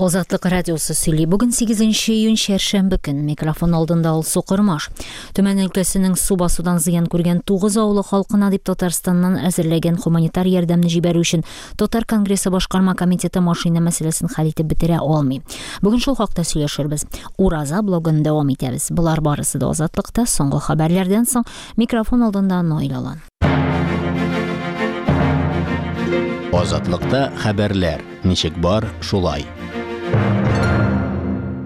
Азатлык радиосы сөйли. Бүген 8 июнь чәршәмбе көн. Микрофон алдында Алсу Кормаш. Төмән өлкәсенең су басудан зыян күргән 9 авылы халкына дип Татарстаннан әзерләгән хуманитар ярдәмне җибәрү өчен Татар конгрессы башкарма комитеты машина мәсьәләсен хәл итеп бетерә алмый. Бүген шул хакта сөйләшербез. Ураза блогын дәвам итәбез. Болар барысы да Азатлыкта соңгы хәбәрләрдән соң микрофон алдында Наил Алан. Азатлыкта хәбәрләр, ничек бар, шулай.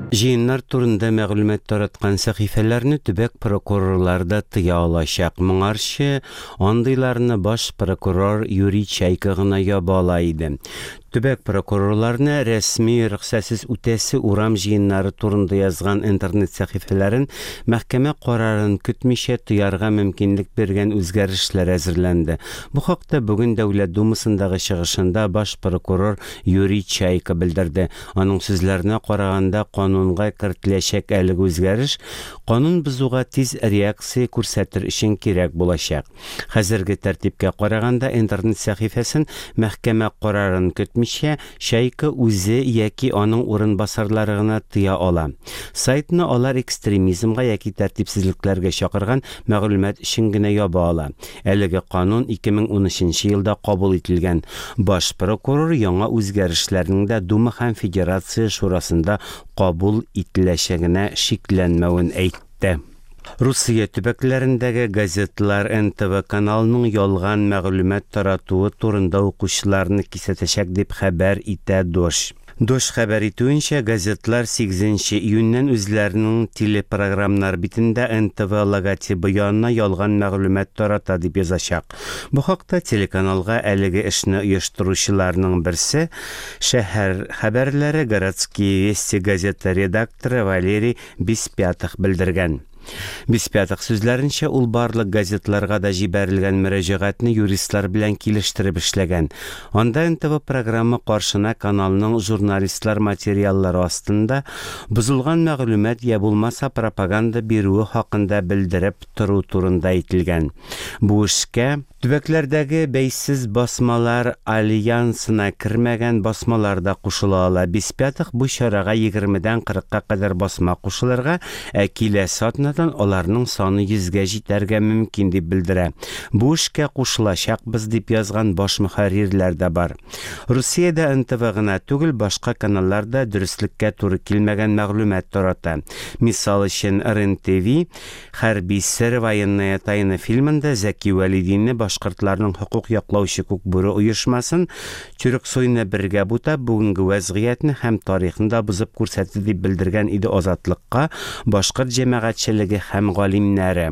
Җыеннар турында мәгълүмат тараткан сәхифәләрне төбәк прокурорлары да тыя алачак. Моңарчы андыйларны баш прокурор Юрий Чайка гына яба ала иде. Төбәк прокурорларына рәсми рөхсәтсез үтәсе урам җыеннары турында язган интернет сәхифәләрен мәхкәмә карарын көтмичә тыярга мөмкинлек биргән үзгәрешләр әзерләнде. Бу хакта бүген Дәүләт Думасындагы чыгышында баш прокурор Юрий Чайка белдерде. Аның сүзләренә караганда, канунга кертеләчәк әлеге үзгәреш канун бозуга тиз реакция күрсәтер өчен кирәк булачак. Хәзерге тәртипкә караганда, интернет сәхифәсен мәхкәмә карарын көтмичә, Чайка үзе яки аның урынбасарлары гына тыя ала. Сайтны алар экстремизмга яки тәртипсезлекләргә чакырган мәгълүмат өчен генә яба ала. Әлеге канун 2013 елда кабул ителгән. Баш прокурор яңа үзгәрешләрнең дә Дума һәм Федерация Шурасында кабул ителәчәгенә шикләнмәвен әйтте. Русия төбәкләрендәге газетлар НТВ каналының ялган мәгълүмат таратуы турында укучыларны кисәтәчәк дип хәбәр итә Дождь. Дождь хәбәр итүенчә, газетлар 8 нче июньнән үзләренең телепрограммнар битендә НТВ логотибы янына ялган мәгълүмат тарата дип язачак. Бу хакта телеканалга әлеге эшне оештыручыларның берсе, Шәһәр хәбәрләре, Городские вести газеты редакторы Валерий Беспятых белдергән. Беспятых сүзләренчә, ул барлык газетларга да җибәрелгән мөрәҗәгатьне юристлар белән килештереп эшләгән. Анда НТВ програмы каршына каналның журналистлар материаллары астында бозылган мәгълүмат я булмаса пропаганда бирүе хакында белдереп тору турында әйтелгән. Бу эшкә Төбәкләрдәге бәйсез басмалар альянсына кермәгән басмалар да кушыла ала. Беспятых бу чарага егермедән кырыкка кадәр басма кушылырга, ә киләсе атнадан аларның саны йөзгә җитәргә мөмкин дип белдерә. Бу эшкә кушылачакбыз дип язган баш мөхәррирләр дә бар. Русиядә НТВ гына түгел, башка каналлар да дөреслеккә туры килмәгән мәгълүмат тарата. Мисал өчен, РЕН-ТВ Хәрби сер, Военная тайна фильмында Зәки Вәлидинне башкортларның хокук яклаучы Күкбүре оешмасын, Тюрксойны бергә бутап, бүгенге вәзгыятьне һәм тарихны да бозып күрсәтте дип белдергән иде Азатлыкка башкорт җәмәгатьчелеге һәм галимнәре.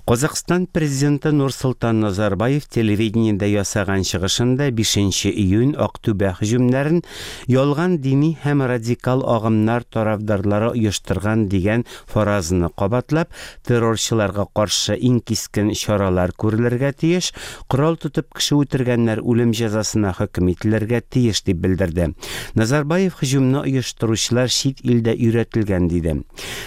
Казакъстан президенты Нурсолтан Назарбаев телевидениедә ясаган чыгышында бишенче июнь Актүбә һөҗүмнәрен ялган дини һәм радикал агымнар тарафдарлары оештырган дигән Фаразны кабатлап, террорчыларга каршы иң кискен чаралар күрелергә тиеш, корал тотып кеше үтергәннәр үлем җәзасына хөкем ителергә тиеш, дип белдерде. Назарбаев һөҗүмне оештыручылар чит илдә өйрәтелгән, диде.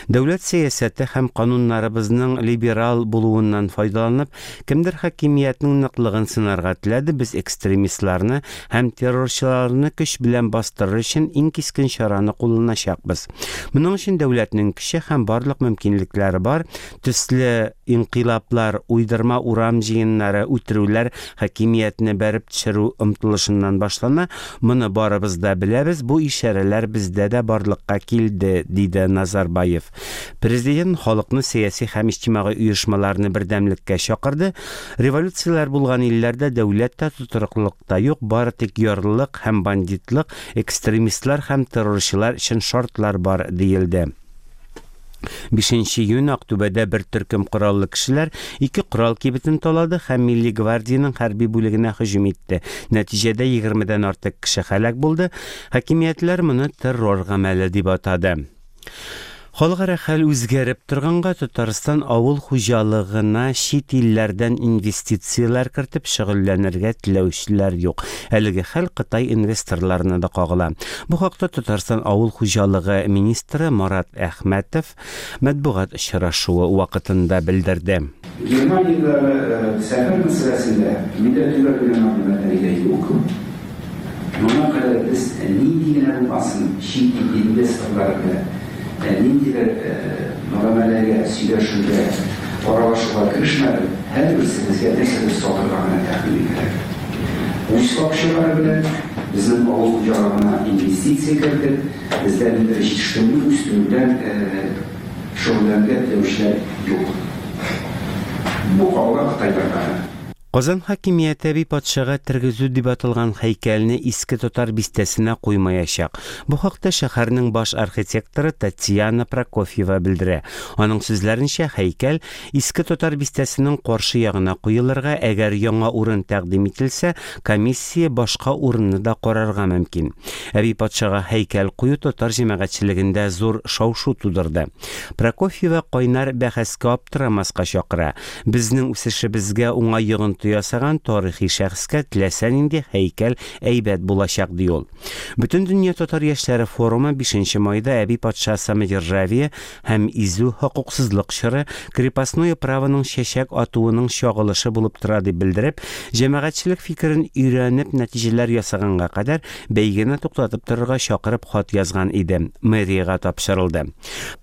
Дәүләт сәясәте һәм кануннарыбызның либерал булуыннан файдаланып, кемдер хакимиятнең ныклыгын сынарга теләде, без экстремистларны һәм террорчыларны көч белән бастырыр өчен иң кискен чараны кулланачакбыз. Моның өчен дәүләтнең көче һәм барлык мөмкинлекләре бар, төсле инкыйлаблар, уйдырма урам җыеннары, үтерүләр хакимиятне бәреп төшерү омтылышыннан башлана, моны барыбыз да беләбез, бу ишарәләр бездә дә барлыкка килде, диде Назарбаев. Президент халыкны сәяси һәм иҗтимагый оешмаларны бердәмлеккә чакырды, революцияләр булган илләрдә дәүләт тә, тотрыклылык та юк, бары тик ярлылык һәм бандитлык, экстремистлар һәм террорчылар өчен шартлар бар, диелде. Бишенче июнь Актүбәдә бер төркем кораллы кешеләр ике корал кибетен талады һәм Милли гвардиянең хәрби бүлегенә һөҗүм итте. Нәтиҗәдә егермедән артык кеше һәлак булды. Хакимиятләр моны террор гамәле дип атады. Халыкара хәл үзгәреп торганга, Татарстан авыл хуҗалыгына чит илләрдән инвестицияләр кертеп шөгыльләнергә теләүчеләр юк. Әлеге хәл Кытай инвесторларына да кагыла. Бу хакта Татарстан авыл хуҗалыгы министры Марат Әхмәтов матбугат очрашуы вакытында белдерде. Германиядәге сәфәр мәсьәләсендә миндә төгәл генә мәгълүмат әлегә юк. Моңа кадәр без нинди генә булмасын чит ил инвесторлары белән ниндидер мөгамәләгә, сөйләшүгә, аралашуга керешмәдек, һәрберсе безгә нәрсәдер сатырга гына тәкъдим итәләр. Үз акчалары белән безнең авыл хуҗалыгына инвестиция кертеп, бездә ниндидер җитештерүне үстерү белән шөгыльләнергә теләүчеләр юк. Бу кабыла кытайларга гына. Казан хакимияте әби патшага тергезү дип аталган һәйкәлне Иске Татар бистәсенә куймаячак. Бу хакта шәһәрнең баш архитекторы Татьяна Прокофьева белдерә. Аның сүзләренчә, һәйкәл Иске Татар бистәсенең каршы ягына куелырга, әгәр яңа урын тәкъдим ителсә, комиссия башка урынны да карарга мөмкин. Әби патшага һәйкәл кую татар җәмәгатьчелегендә зур шау-шу тудырды. Прокофьева кайнар бәхәскә аптырамаска чакыра. Безнең үсешебезгә уңай йогынты ясаган тарихи шәхескә теләсә нинди һәйкәл әйбәт булачак, ди ул. Бөтендөнья татар яшьләре форумы бишенче майда Әби патша самодержавие һәм изү хокуксызлык чоры, крепостное правоның чәчәк атуының чагылышы булып тора дип белдереп, җәмәгатьчелек фикерен өйрәнеп нәтиҗәләр ясаганга кадәр бәйгене туктатып торырга чакырып хат язган иде, мэриягә тапшырылды.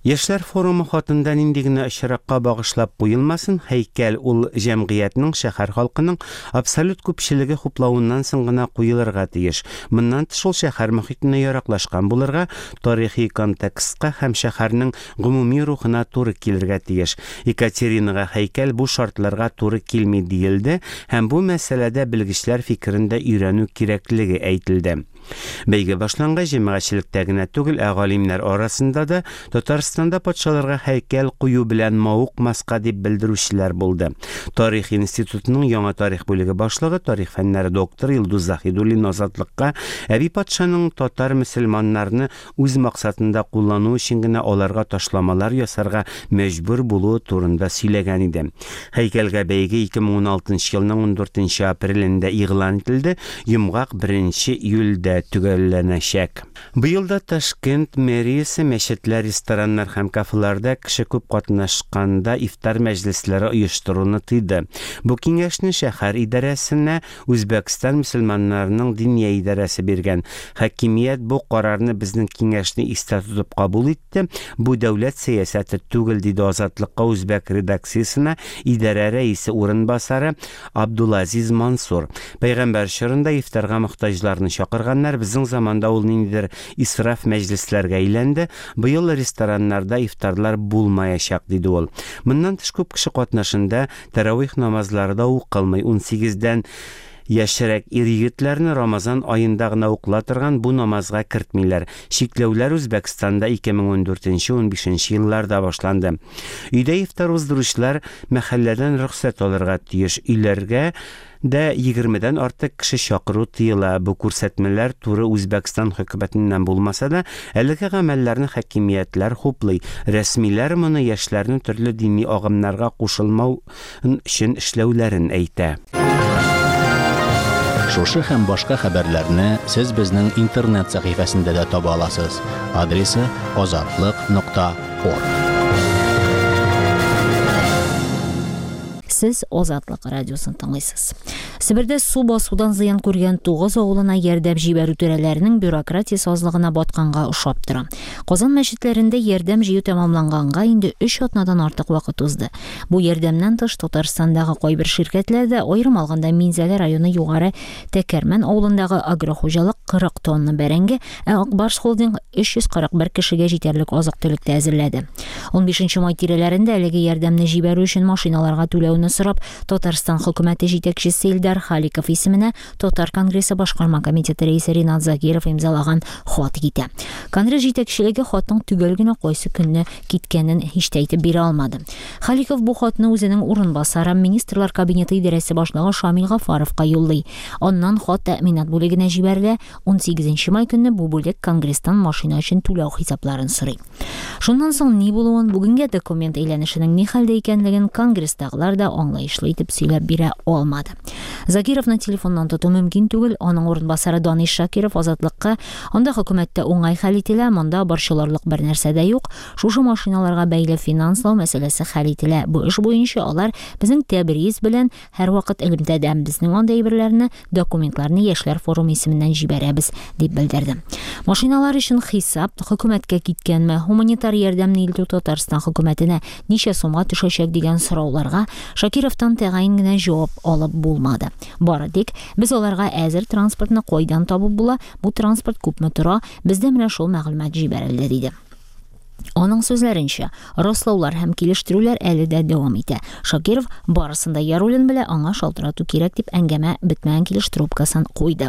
Яшьләр форумы хатында нинди генә очракка багышлап куелмасын, һәйкәл ул җәмгыятьнең, шәһәр халкының абсолют күпчелеге хуплавыннан соң гына куелырга тиеш. Моннан тыш ул шәһәр мохитенә яраклашкан булырга, тарихи контекстка һәм шәһәрнең гомуми рухына туры килергә тиеш. Екатеринага һәйкәл бу шартларга туры килми диелде һәм бу мәсьәләдә белгечләр фикерен дә өйрәнү кирәклеге әйтелде. Бәйге башлангач, җәмәгатьчелектә генә түгел, ә галимнәр арасында да Татарстанда патшаларга һәйкәл кую белән мавыкмаска дип белдерүчеләр булды. Тарих институтының яңа тарих бүлеге башлыгы, тарих фәннәре докторы Илдус Заһидуллин Азатлыкка Әби патшаның татар мөселманнарны үз максатында куллану өчен генә аларга ташламалар ясарга мәҗбүр булуы турында сөйләгән иде. Һәйкәлгә бәйге 2016 елның ундүртенче апрелендә игълан ителде, йомгак беренче июльдә төгәлләнәчәк. Быел да Ташкент мэриясе мәчетләр, рестораннар һәм кафеларда кеше күп катнашканда ифтар мәҗлесләре оештыруны тыйды. Бу киңәшне шәһәр идарәсенә Үзбәкстан мөселманнарының Диния идарәсе биргән. Хакимият бу карарны безнең киңәшне истә тотып кабул итте, бу дәүләт сәясәте түгел, диде Азатлыкка үзбәк редакциясенә идарә рәисе урынбасары Абдулазиз Мансур. Пәйгамбәр чорында ифтарга мохтаҗларны чакырганнар, безнең заманда ул ниндидер исраф мәҗлесләргә әйләнде, быел рестораннарда ифтарлар булмаячак, диде ул. Моннан тыш күп кеше катнашында Тәравих намазлары да укылмый. Унсигездән яшьрәк ир-егетләрне Рамазан аенда гына укыла торган бу намазга кертмиләр. Чикләүләр Үзбәкстанда 2014 унбишенче елларда башланды. Өйдә ифтар уздыручылар мәхәлләдән рөхсәт алырга тиеш. Өйләргә дә егермедән артык кеше чакыру тыела. Бу күрсәтмәләр туры Үзбәкстан хөкүмәтеннән булмаса да, әлеге гамәлләрне хакимиятләр хуплый. Рәсмиләр моны яшьләрне төрле дини агымнарга кушылмау өчен эшләүләрен әйтә. Шушы һәм башка хәбәрләрне сез безнең интернет сәхифәсендә дә таба аласыз. Адресы азатлык нокта орг. Сез Азатлык радиосын тыңлыйсыз. Себердә су басудан зыян күргән Тугыз авылына ярдәм җибәрү түрәләренең бюрократия сазлыгына батканга ошап тора. Казан мәчетләрендә ярдәм җыю тәмамланганга инде өч атнадан артык вакыт узды. Бу ярдәмнән тыш Татарстандагы кайбер ширкәтләр дә, аерым алганда Минзәлә районы Югары Тәкәрмән авылындагы агрохуҗалык 40 тонна бәрәңге, ә Ак Барс Холдинг 341 кешегә җитәрлек азык-төлек тә әзерләде. Унбишенче май тирәләрендә әлеге ярдәмне җибәрү өчен машиналарга түләүне сорап, Татарстан хөкүмәте җитәкчесе Илдар Халиков исеменә Татар конгрессы башкарма комитеты рәисе Ринат Закиров имзалаган хат китә. Конгресс җитәкчелеге хатның төгәл генә кайсы көнне киткәнен һич тә әйтеп бирә алмады. Халиков бу хатны үзенең урынбасары, Министрлар Кабинеты идарәсе башлыгы Шамил Гафаровка юллый. Аннан хат тәэминат бүлегенә җибәрелә, унсигезенче май көнне бу бүлек Конгресстан машина өчен түләү хисапларын сорый. Шуннан соң ни булуын, бүгенгә документ әйләнешенең ни хәлдә икәнлеген Конгресстагылар да аңлаешлы итеп сөйләп бирә алмады. Закировны телефоннан тоту мөмкин түгел, аның урынбасары Данис Шакиров Азатлыкка анда хөкүмәттә уңай хәл ителә, монда борчылырлык бер нәрсә дә юк, шушы машиналарга бәйле финанслау мәсьәләсе хәл ителә. Бу эш буенча алар безнең Тәбриз белән һәрвакыт элемтәдә. Безнең андый әйберләрне, документларны Яшьләр форумы исеменнән җибәрәбез, дип белдерде. Машиналар өчен хисап хөкүмәткә киткәнме, һуманитар ярдәмне илтү Татарстан хөкүмәтенә ничә сумга төшәчәк дигән сорауларга Шакировтан тәгаен генә җавап алып булмады. Бары тик без аларга әзер транспортны кайдан табып була, бу транспорт күпме тора, бездә менә шул мәгълүмат җибәрелде, диде. Аның сүзләренчә, раслаулар һәм килештерүләр әле дә дәвам итә. Шакиров барысын да Яруллин белә, аңа шалтырату кирәк дип әңгәмә бетмәгән килеш трубкасын куйды.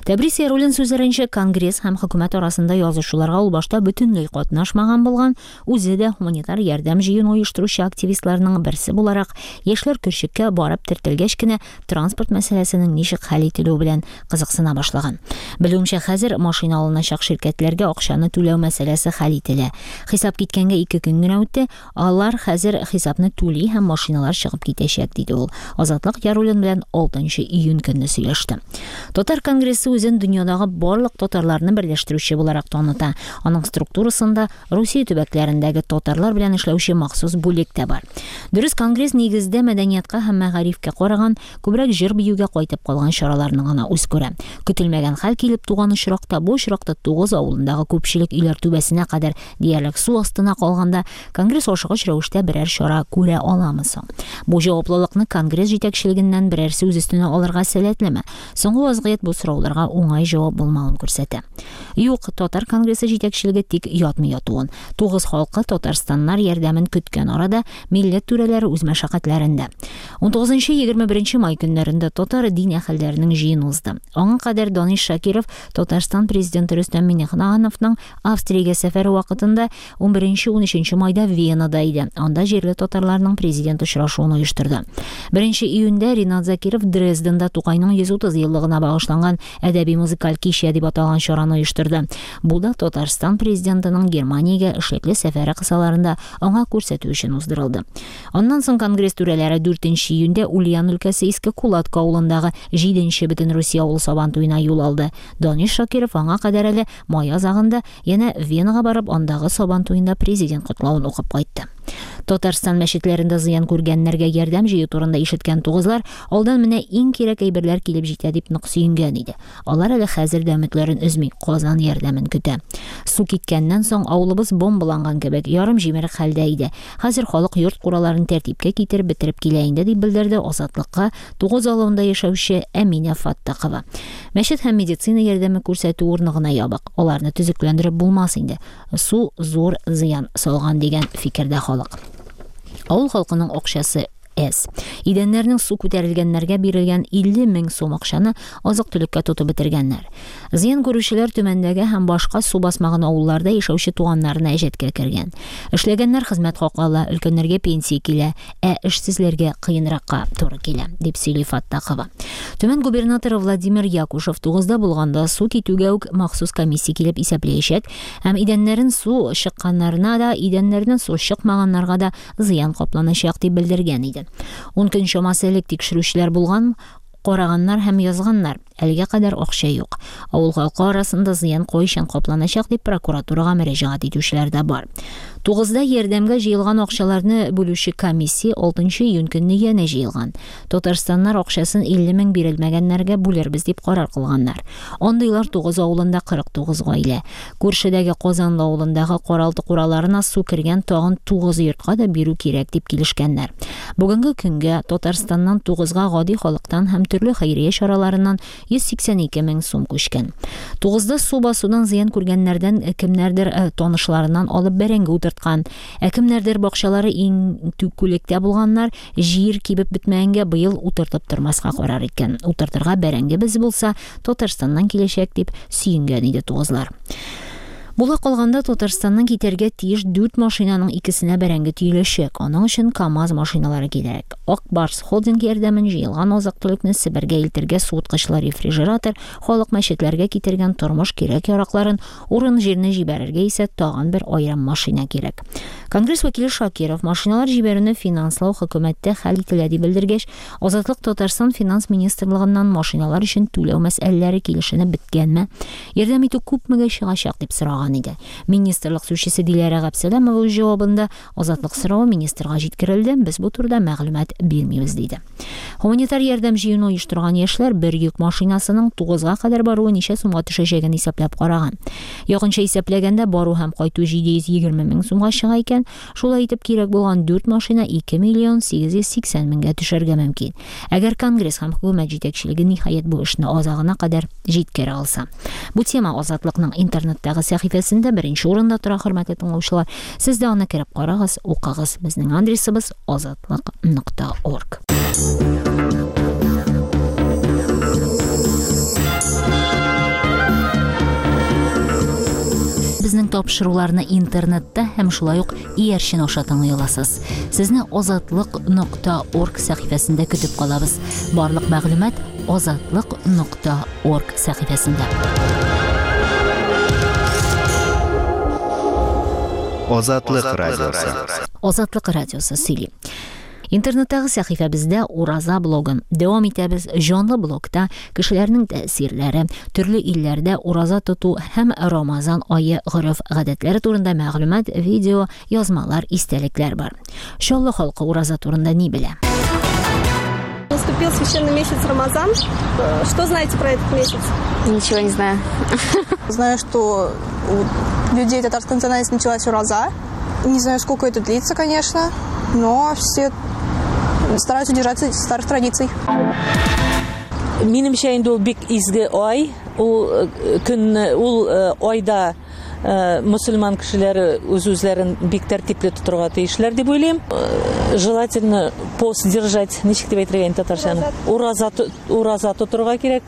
Тәбрис Яруллин сүзләренчә, Конгресс һәм хөкүмәт арасында язышуларга ул башта бөтенләй катнашмаган булган, үзе дә һуманитар ярдәм җыюны оештыручы активистларның берсе буларак, яшьләр көрчеккә барып тертелгәч кенә транспорт мәсьәләсенең ничек хәл ителүе белән кызыксына башлаган. Белүемчә, хәзер машина алыначак ширкәтләргә акчаны түләү мәсьәләсе хәл ителә. Хисап киткәнгә 2 көн генә үтте, алар хәзер хисапны түли һәм машиналар чыгып китәчәк, диде ул. Азатлык Яруллин белән 6 июнь көнне сөйләште. Татар конгрессы үзен дөньядагы барлык татарларны берләштерүче буларак таныта. Аның структурасында Русия төбәкләрендәге татарлар белән эшләүче махсус бүлек тә бар. Дөрес, конгресс нигездә мәдәниятка һәм мәгарифкә караган, күбрәк җыр-биюгә кайтып калган чараларны гына үз күрә. Көтелмәгән хәл килеп туган очракта, бу очракта Тугыз авылындагы күпчелек өйләр түбәсенә кадәр диярлек су астына калганда, конгресс ашыгыч рәвештә берәр чара күрә аламы соң? Бу җаваплылыкны конгресс җитәкчелегеннән берәрсе үз өстенә алырга сәләтлеме? Соңгы вазгыять бу сорауларга уңай җавап булмавын күрсәтә. Юк, Татар конгрессы җитәкчелеге тик ятмый ятуын. Тугыз халкы татарстаннар ярдәмен көткән арада милләт түрәләре үз мәшәкатьләрендә. 19-21 май көннәрендә татар дин әһелләренең җыены узды. Аңа кадәр Данис Шакиров Татарстан президенты Рөстәм Миңнехановның Австриягә сәфәре вакытында 11-13 майда Венада иде. Анда җирле татарларның президент очрашуын оештырды. 1 июньдә Ринат Закиров Дрезденда Тукайның 130 еллыгына багышланган Әдәби-музыкаль кичә дип аталган чараны оештырды. Бу да Татарстан президентының Германиягә эшлекле сәфәре кысаларында аңа күрсәтү өчен уздырылды. Аннан соң конгресс түрәләре 4 июньдә Ульян өлкәсе Иске Кулатка авылындагы 7 нче Бөтенрусия авыл Сабантуена юл алды. Данис Шакиров аңа кадәр әле май азагында янә Венага барып, андагы Сабан туенда президент котлавын укып кайтты. Татарстан мәчетләрендә зыян күргәннәргә ярдәм җыю турында ишеткән тугызлар алдан менә иң кирәк әйберләр килеп җитә дип нык сөенгән иде. Алар әле хәзер дә өметләрен өзми, Казан ярдәмен көтә. Су киткәннән соң авылыбыз бомбаланган кебек, ярым җимерек хәлдә иде. Хәзер халык йорт-кураларын тәртипкә китереп бетереп килә инде, дип белдерде Азатлыкка Тугыз авылында яшәүче Әминә Фаттахова. Мәчет һәм медицина ярдәме күрсәтү урыны гына ябык. Аларны төзекләндереп булмас инде. Су зур зыян салган дигән фикердә халык. Авыл халкының акчасы әз. Идәннәрнең су күтәрелгәннәргә бирелгән 50 мең сум акчаны азык-төлеккә тотып бетергәннәр. Зыян күрүчеләр Төмәндәге һәм башка су басмаган авылларда яшәүче туганнарына әҗәткә кергән. Эшләгәннәр хезмәт хакы ала, өлкәннәргә пенсия килә, ә эшсезләргә кыенракка туры килә, дип сөйли Фаттахова. Төмән губернаторы Владимир Якушев тугызда булганда су китүгә үк махсус комиссия килеп исәпләячәк һәм идәннәрен су чыкканнарына да, идәннәреннән су чыкмаганнарга да зыян капланачак, дип белдергән иде. Ун көн чамасы элек тикшерүчеләр булган, караганнар һәм язганнар. Әлегә кадәр акча юк. Авыл халкы арасында зыян кайчан капланачак дип прокуратурага мөрәҗәгать итүчеләр дә бар. Тугызда ярдәмгә җыелган акчаларны бүлүче комиссия 6 июнь көнне янә җыелган. Татарстаннар акчасын 50 мең бирелмәгәннәргә бүлербез дип карар кылганнар. Андыйлар Тугыз авылында 49 гаилә. Күршедәге Казанлы авылындагы каралты-кураларына су кергән тагын 9 йортка да бирү кирәк дип килешкәннәр. Бүгенге көнгә Татарстаннан Тугызга гади халыктан һәм төрле хәйрия чараларыннан 182 мең сум күчкән. Тугызда су басудан зыян күргәннәрдән кемнәрдер танышларыннан алып бәрәңге утырткан, ә кемнәрдер бакчалары иң күлектә булганнар җир кибеп бетмәгәнгә быел утыртып тормаска карар иткән. Утыртырга бәрәңгебез булса, Татарстаннан киләчәк дип сөенгән иде тугызлар. Була калганда Татарстаннан китәргә тиеш дүрт машинаның икесенә бәрәңге төеләчәк. Аның өчен КАМАЗ машиналары кирәк. Ак Барс холдинг ярдәмен җыелган азык-төлекне Себергә илтергә суыткычлы рефрижератор, халык мәчетләргә китергән тормыш кирәк-яракларын, урын-җирне җибәрергә исә тагын бер аерым машина кирәк. Конгресс вәкиле Шакиров машиналар җибәрүне финанслау хөкүмәттә хәл ителә дип белдергәч, Азатлык Татарстан финанс министрлыгыннан машиналар өчен түләү мәсьәләләре килешенеп беткәнме, ярдәм итү күпмегә чыгачак дип сораган иде. Министрлык сүзчесе Диләрә Габсәләмова үз җавабында Азатлык соравы министрга җиткерелде, без бу турыда мәгълүмат бирмибез, диде. Һуманитар ярдәм җыюны оештырган яшьләр бер йөк машинасының тугызга кадәр баруы ничә сумга төшәчәген исәпләп караган. Якынча исәпләгәндә, бару һәм кайту 720 мең сумга чыга икән. Шулай итеп, кирәк булган дүрт машина 2 миллион 880 меңгә төшәргә мөмкин. Әгәр Конгресс һәм хөкүмәт җитәкчелеге ниһаять бу эшне азагына кадәр җиткерә алса. Бу тема Азатлыкның интернеттагы сәхифәсендә беренче урында тора, хөрмәтле тыңлаучылар. Сез дә аны кереп карагыз, укыгыз. Безнең адресыбыз азатлык нокта орг. Безнең тапшыруларны интернетта һәм шулай ук иярчен аша тыңлый аласыз. Сезне азатлык нокта орг сәхифәсендә көтеп калабыз. Барлык мәгълүмат азатлык нокта орг сәхифәсендә. Азатлык радиосы. Азатлык радиосы сөйли. Интернеттагы сәхифәбездә Ураза блогын дәвам итәбез. Җанлы блогта кешеләрнең тәэсирләре, төрле илләрдә ураза тоту һәм Рамазан ае гореф-гадәтләре турында мәгълүмат, видео, язмалар, истәлекләр бар. Чаллы халкы ураза турында ни белә? Наступил священный месяц Рамазан. Что знаете про этот месяц? Ничего не знаю. Знаю, что у людей татарской национальности началась ураза. Не знаю, сколько это длится, конечно, но все стараются держаться старых традиций. Минемчә инде ул бик изге ай. Ул э, көнне, ул э, айда э, мөселман кешеләре үз-үзләрен бик тәртипле тотырга тиешләр дип уйлыйм. Желательно пост держать, ничек дип әйтергә инде татарчаны? Ураза, ураза тотырга кирәк.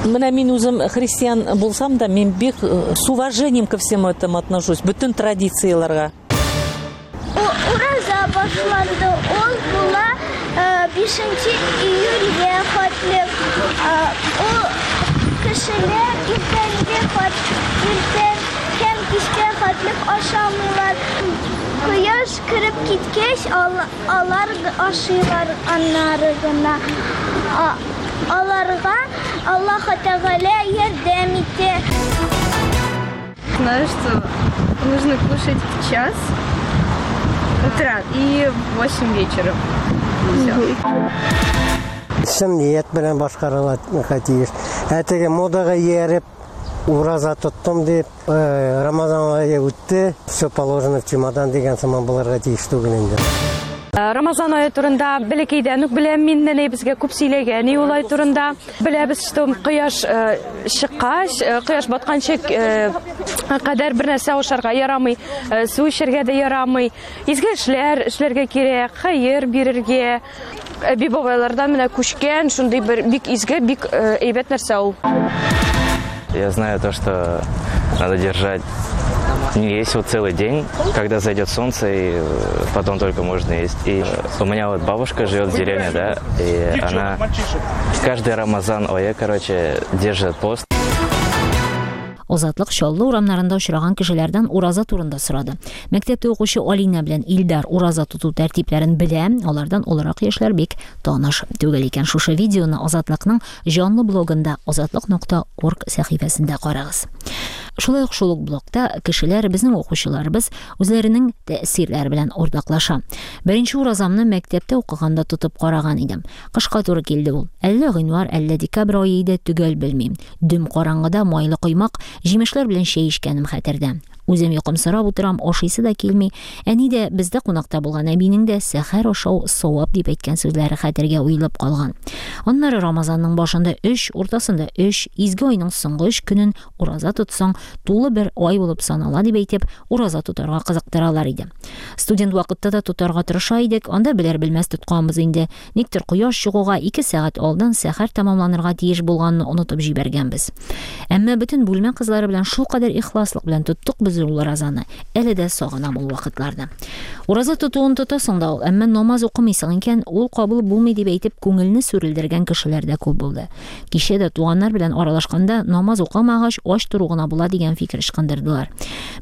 Менә мин үзем христиан булсам да, мин бик э, с уважением ко всему этому отношусь, бөтен традицияләргә. Ураза башланды. Ул була 5 э, июльгә хәтле. Э, ул кешеләр иртәнге хат, иртән һәм кичкә хәтле ашамыйлар. Кояш кереп киткәч, Алар ашыйлар аннары гына. Аларга Аллаһы Тәгалә ярдәм итә. Знаю, что нужно кушать в час утра и в 8 вечера. Все. Чын ният белән башкарылырга тиеш. Ә теге модага ияреп, ураза тоттым дип, Э, Рамазан ае үтте, все положено в чемодан дигән сыман булырга тиеш түгел инде. Э, Рамазан ае турында бәләкәйдән үк беләм мин, нәнәй безгә күп сөйләгән ул ай турында. Беләбез, что кояш э, чыккач, кояш батканчы кадәр бер нәрсә ашарга ярамый, су эчәргә дә ярамый. Изге эшләр эшләргә кирәк, хәер бирергә. Әби бабайлардан менә күчкән шундый бер бик изге, бик э, әйбәт нәрсә ул. Я знаю то, что надо держать не есть вот целый день, когда зайдет солнце, и э, потом только можно есть. И у меня вот бабушка живет в деревне, да, и она каждый Рамазан, ой, короче, держит пост. Азатлык Чаллы урамнарында очраган кешеләрдән ураза турында сорады. Мәктәптә укучы Алинә белән Илдар ураза тоту тәртипләрен белә, алардан олырак яшьләр бик таныш түгел икән. Шушы видеоны Азатлыкның җанлы блогында азатлык нокта орг сәхифәсендә карагыз. Шулай ук шул ук блогта кешеләр, безнең укучыларыбыз үзләренең тәэсирләре белән уртаклаша. Беренче уразамны мәктәптә укыганда тотып караган идем. Кышка туры килде ул. Әллә гыйнвар, әллә декабрь ае иде, төгәл белмим. Дөм караңгыда майлы коймак, җимешләр белән чәй эчкәнем хәтердә. Үзем йокымсырап утырам, ашыйсы да килми. Әни дә, бездә кунакта булган әбинең дә сәхәр ашау савап дип әйткән сүзләре хәтергә уелып калган. Аннары Рамазанның башында өч, уртасында өч, изге айның соңгы өч көнен ураза тотсаң, тулы бер ай булып санала дип әйтеп, ураза тотарга кызыктыралар иде. Студент вакытта да тотарга тырыша идек, анда белер-белмәс тотканбыз инде. Никтер кояш чыгуга ике сәгать алдан сәхәр тәмамланырга тиеш булганны онытып җибәргәнбез. Әмма бөтен бүлмә кызлары белән шулкадәр ихласлык белән тоттык без ул уразаны. Әле дә сагынам ул вакытларны. Ураза тотуын тотасың да ул, әмма намаз укымыйсың икән, ул кабул булмый дип әйтеп күңелне сүрелдергән кешеләр дә күп булды. Кичә дә туганнар белән аралашканда намаз укымагач, ач тору гына була тотарга дигән фикер ычкындырдылар.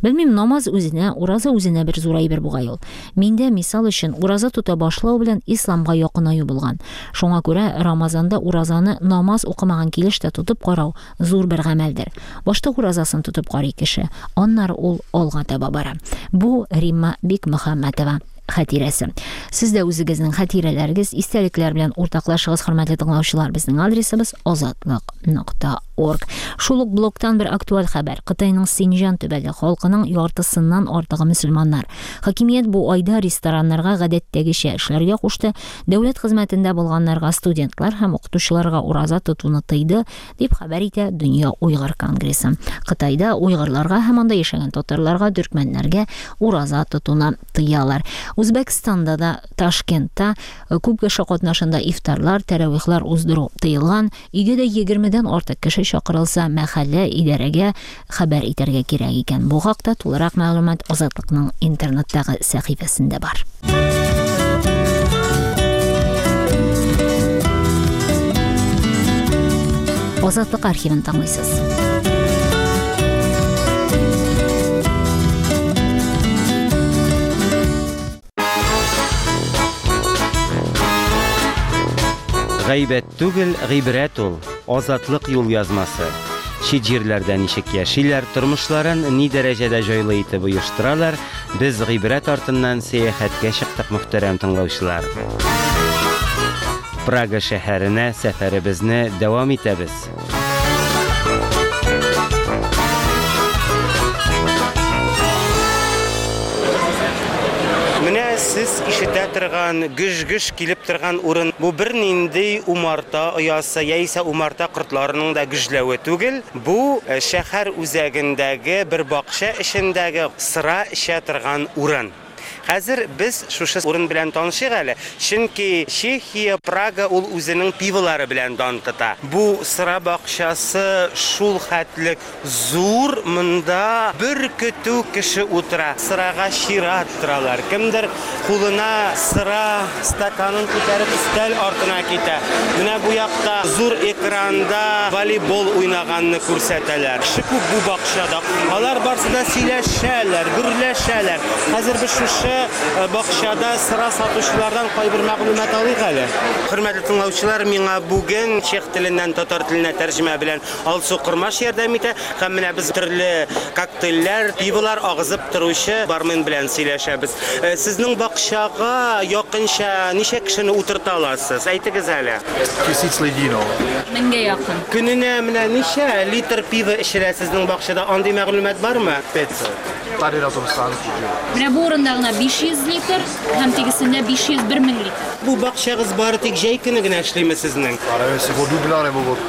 Белмим, намаз үзенә, ураза үзенә бер зур әйбер бугай ул. Миндә, мисал өчен, ураза тота башлау белән исламга якынаю булган. Шуңа күрә Рамазанда уразаны намаз укымаган килеш тә тотып карау зур бер гамәлдер. Башта уразасын тотып карый кеше, аннары ул алга таба бара. Бу Римма Бикмөхәммәтова хатирәсе. Сез дә үзегезнең хатирәләрегез, истәлекләр белән уртаклашыгыз, хөрмәтле тыңлаучылар. Безнең адресыбыз азатлык.орг. Шул ук блоктан бер актуаль хәбәр. Кытайның Синҗан төбәге халкының яртысыннан артыгы мөселманнар. Хакимият бу айда рестораннарга гадәттәгечә эшләргә кушты, дәүләт хезмәтендә булганнарга, студентлар һәм укытучыларга ураза тотуны тыйды, дип хәбәр итә Дөнья уйгыр конгрессы. Кытайда уйгырларга һәм анда яшәгән татарларга, төркмәннәргә ураза тотуны тыялар. Үзбәкстанда да, Ташкентта э, күп кеше катнашында ифтарлар, тәравихлар уздыру тыелган. Өйгә дә 20-дән артык кеше чакырылса, мәхәллә идарәгә хәбәр итәргә кирәк икән. Бу хакта тулырак мәгълүмат Азатлыкның интернеттагы сәхифәсендә бар. Азатлык архивын тыңлыйсыз. Гайбәт түгел, гыйбрәт ул. Азатлык юл язмасы. Чит җирләрдә ничек яшиләр, тормышларын ни дәрәҗәдә җайлы итеп оештыралар, без гыйбрәт артыннан сәяхәткә чыктык, мөхтәрәм тыңлаучылар. Прага шәһәренә сәфәребезне дәвам итәбез. Менә сез ишетә торган гөж-гөж килеп торган урын бу бернинди умарта оясы яисә умарта кортларының да гөжләве түгел. Бу э, шәһәр үзәгендәге бер бакча эчендәге сыра эчә торган урын. Хәзер без шушы урын белән танышыйк әле, чөнки Чехия, Прага ул үзенең пиволары белән дан тота. Бу сыра бакчасы шул хәтлек зур, монда бер көтү кеше утыра, сырага чират торалар. Кемдер кулына сыра стаканын күтәреп өстәл артына китә. Менә бу якта зур экранда волейбол уйнаганны күрсәтәләр. Кеше күп бу бакчада. Алар барсы да сөйләшәләр, гөрләшәләр. Хәзер без шушы э, бакчада сыра сатучылардан кайбер мәгълүмат алыйк әле. Хөрмәтле тыңлаучылар, миңа бүген чех теленнән татар теленә тәрҗемә белән Алсу Кормаш ярдәм итә. Һәм менә без төрле коктейльләр, пиволар агызып торучы бармен белән сөйләшәбез. Э, сезнең бакчага якынча ничә кешене утырта аласыз? Әйтегез әле. Тысяч людей, ну. Меңгә якын. Көненә менә ничә литр пиво эчелә сезнең бакчада? Андый мәгълүмат бармы? 500. Tady na tom stánku, že jo. Менә бу урында гына 500 литр һәм тегесендә 501 мең литр. Бу бакчагыз бары тик җәй көне генә эшлиме сезнең? Já nevím, jestli od dubna nebo od,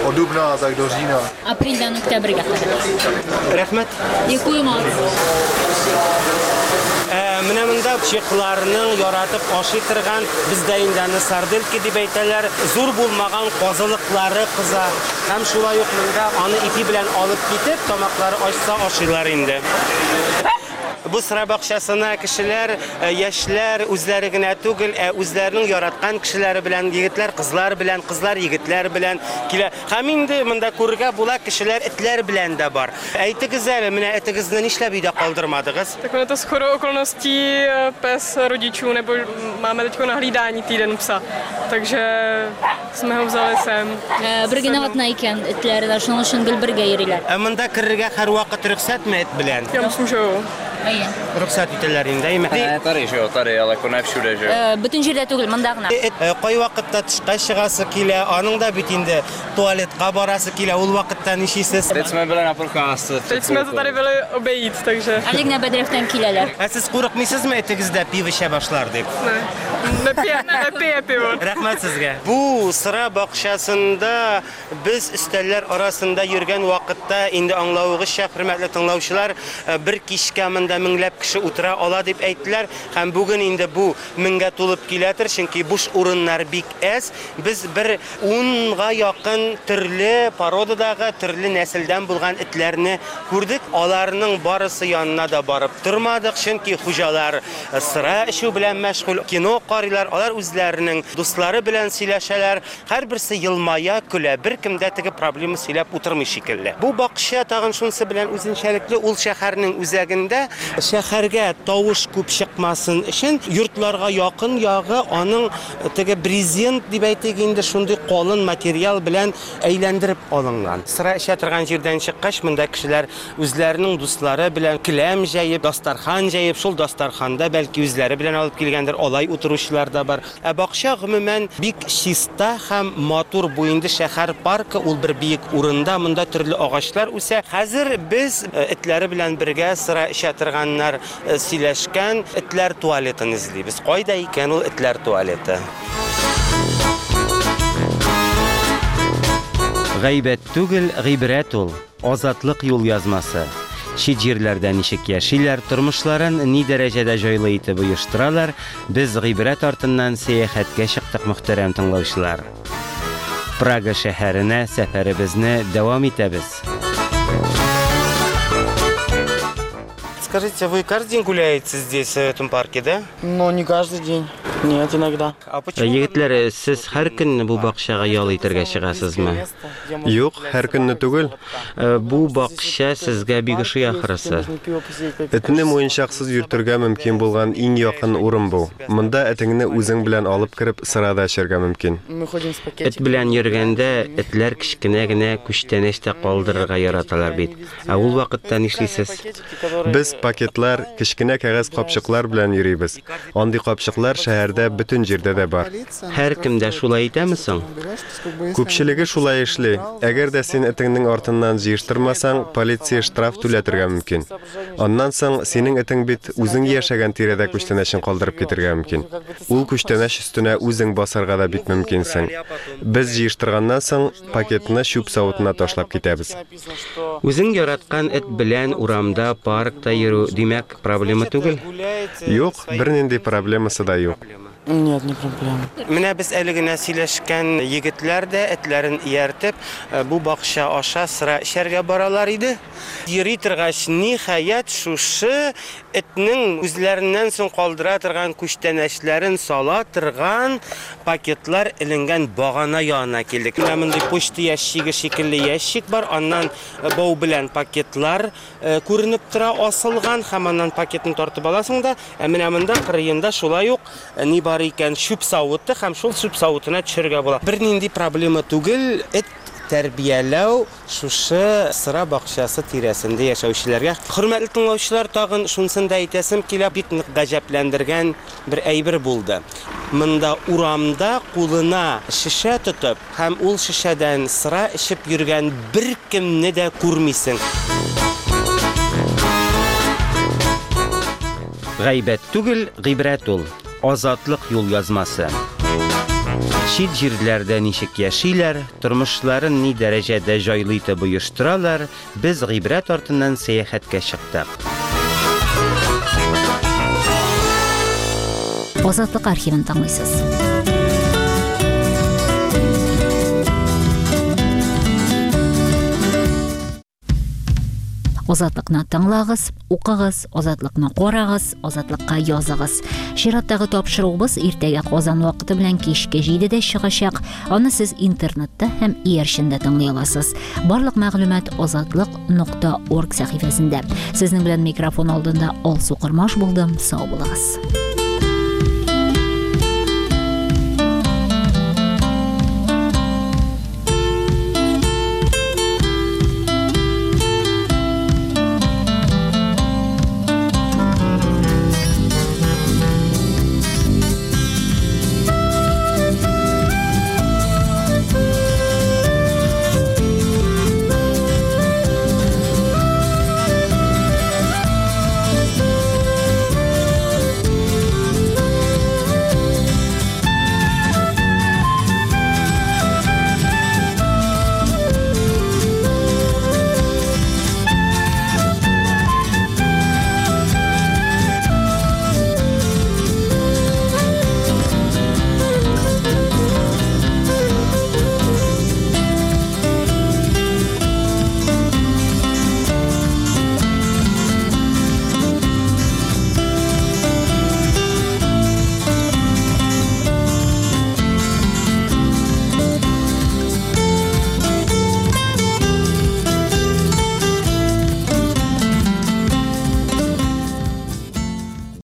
od dubna tak do října. Апрельдән октябрьгә кадәр. Рәхмәт. Děkuji moc. Ә, менә монда чехларның яратып ашый торган, бездә инде аны сардельки дип әйтәләр, зур булмаган казылыклары кыза. Һәм шулай ук монда аны ипи белән алып китеп, тамаклары ачса ашыйлар инде. Бу сыра бакчасына кешеләр, э, яшьләр үзләре генә түгел, ә үзләренең яраткан кешеләре белән, егетләр кызлар белән, кызлар егетләр белән килә. Һәм инде монда күрергә була, кешеләр этләр белән дә бар. Әйтегез әле, менә этегезне нишләп өйдә калдырмадыгыз? Tak ono to shodou okolností eh, pes rodičů, nebo máme teď na hlídání týden psa, takže jsme ho vzali sem. Э, Бер генә атна икән этләре дә, шуның өчен гел бергә йөриләр. Ә монда керергә һәрвакыт рөхсәтме эт белән? Já myslím, že jo. Әйе. Рөхсәт итәләр инде, әйме? Ne, tady, že jo, tady, ale jako ne všude, že jo. Э, Бөтен җирдә түгел, монда гына. Эт э, кайвакытта тышка чыгасы килә, аның да бит инде туалетка барасы килә, ул вакытта нишлисез? Teď jsme byli na procházce. před Teď jsme to chvilkou. tady byli obejít, takže Әле генә бәдрәфтән киләләр. Ә сез курыкмыйсызмы этегездә пиво эчә башлар дип? ne. Nepije, nepije pivo. Рәхмәт сезгә. Бу сыра бакчасында без өстәлләр арасында йөргән вакытта инде аңлавыгызча, хөрмәтле тыңлаучылар, э, бер кичкә монда Монда меңләп кеше утыра ала дип әйттеләр. Һәм бүген инде бу меңгә тулып киләдер, чөнки буш урыннар бик әз. Без бер унга якын төрле породадагы, төрле нәселдән булган этләрне күрдек. Аларның барысы янына да барып тормадык, чөнки хуҗалар сыра эчү белән мәшгуль, кино карыйлар, алар үзләренең дуслары белән сөйләшәләр. Һәрберсе елмая, көлә, беркем дә теге проблема сөйләп утырмый шикелле. Бу бакча тагын шунысы белән үзенчәлекле, ул шәһәрнең үзәгендә, шәһәргә тавыш күп чыкмасын өчен, йортларга якын ягы аның теге брезент дип әйтик инде, шундый калын материал белән әйләндереп алынган. Сыра эчә торган җирдән чыккач, монда кешеләр үзләренең дуслары белән келәм җәеп, дастархан җәеп, шул дастарханда бәлки үзләре белән алып килгәндер, алай утыручылар да бар. Ә бакча, гомумән, бик чиста һәм матур. Бу инде шәһәр паркы, ул бер биек урында, монда төрле агачлар үсә. Хәзер без этләре белән бергә сыра эчә торганнар сөйләшкән этләр туалетын эзлибез. Кайда икән ул этләр туалеты? Гайбәт түгел, гыйбрәт ул. Азатлык юлъязмасы. Чит җирләрдә ничек яшиләр, тормышларын ни дәрәҗәдә җайлы итеп оештыралар, без гыйбрәт артыннан сәяхәткә чыктык, мөхтәрәм тыңлаучылар. Прага шәһәренә сәфәребезне дәвам итәбез. Скажите, вы каждый день гуляете здесь, в этом парке, да? Ну, не каждый день. Нет, иногда. Егетләр, сез һәр көнне бу бакчага ял итәргә чыгасызмы? Юк, һәр көнне түгел. Бу бакча сезгә бик ошый ахрысы. Этне муенчаксыз йөртергә мөмкин булган иң якын урын бу. Монда этеңне үзең белән алып кереп, сыра да эчәргә мөмкин. Эт белән йөргәндә, этләр кечкенә генә күчтәнәч тә калдырырга яраталар бит. Ә ул вакытта нишлисез? Без пакетлар, кечкенә кәгазь капчыклар белән йөрибез. Андый капчыклар шәһәрдә бөтен җирдә дә бар. Һәркем дә шулай итәме соң? Күпчелеге шулай эшли. Әгәр дә син этеңнең артыннан җыештырмасаң, полиция штраф түләтергә мөмкин. Аннан соң, синең этең бит үзең яшәгән тирәдә күчтәнәчен калдырып китергә мөмкин. Ул күчтәнәч өстенә үзең басарга да бик мөмкинсең. Без җыештырганнан соң, пакетны чүп савытына ташлап китәбез. Үзең яраткан эт белән урамда, паркта йөрү, димәк, проблема түгел? Юк, бернинди проблемасы да юк. Нет, не проблема. Менә без әле генә сөйләшкән егетләр дә этләрен ияртеп, бу бакча аша сыра эчәргә баралар иде. Йөри торгач, ниһаять, шушы этнең үзләреннән соң калдыра торган күчтәнәчләрен сала торган пакетлар эленгән багана янына килдек. Менә мондый почта ящигы шикелле ящик бар, аннан бау белән пакетлар күренеп тора, асылган, һәм аннан пакетны тартып аласың да, ә менә монда кырыенда шулай ук ни бар икән, чүп савыты, һәм шул чүп савытына төшерергә була. Бернинди проблема түгел, эт тәрбияләү шушы сыра бакчасы тирәсендә яшәүчеләргә. Хөрмәтле тыңлаучылар, тагын шунысын да әйтәсем килә, бик нык гаҗәпләндергән бер әйбер булды. Монда урамда кулына шешә тотып һәм ул шешәдән сыра эчеп йөргән беркемне дә күрмисең. Гайбәт түгел, гыйбрәт ул. Азатлык юлъязмасы. Чит җирләрдә ничек яшиләр, тормышларын ни дәрәҗәдә җайлы итеп оештыралар, без гыйбрәт артыннан сәяхәткә чыктык. Азатлык архивын тыңлыйсыз. Азатлыкны тыңлагыз, укыгыз, Азатлыкны карагыз, Азатлыкка языгыз. Чираттагы тапшыруыбыз иртәгә Казан вакыты белән кичке 7-дә чыгачак. Аны сез интернетта һәм иярчендә тыңлый аласыз. Барлык мәгълүмат азатлык.орг сәхифәсендә. Сезнең белән микрофон алдында Алсу Кормаш булдым. Сау булыгыз.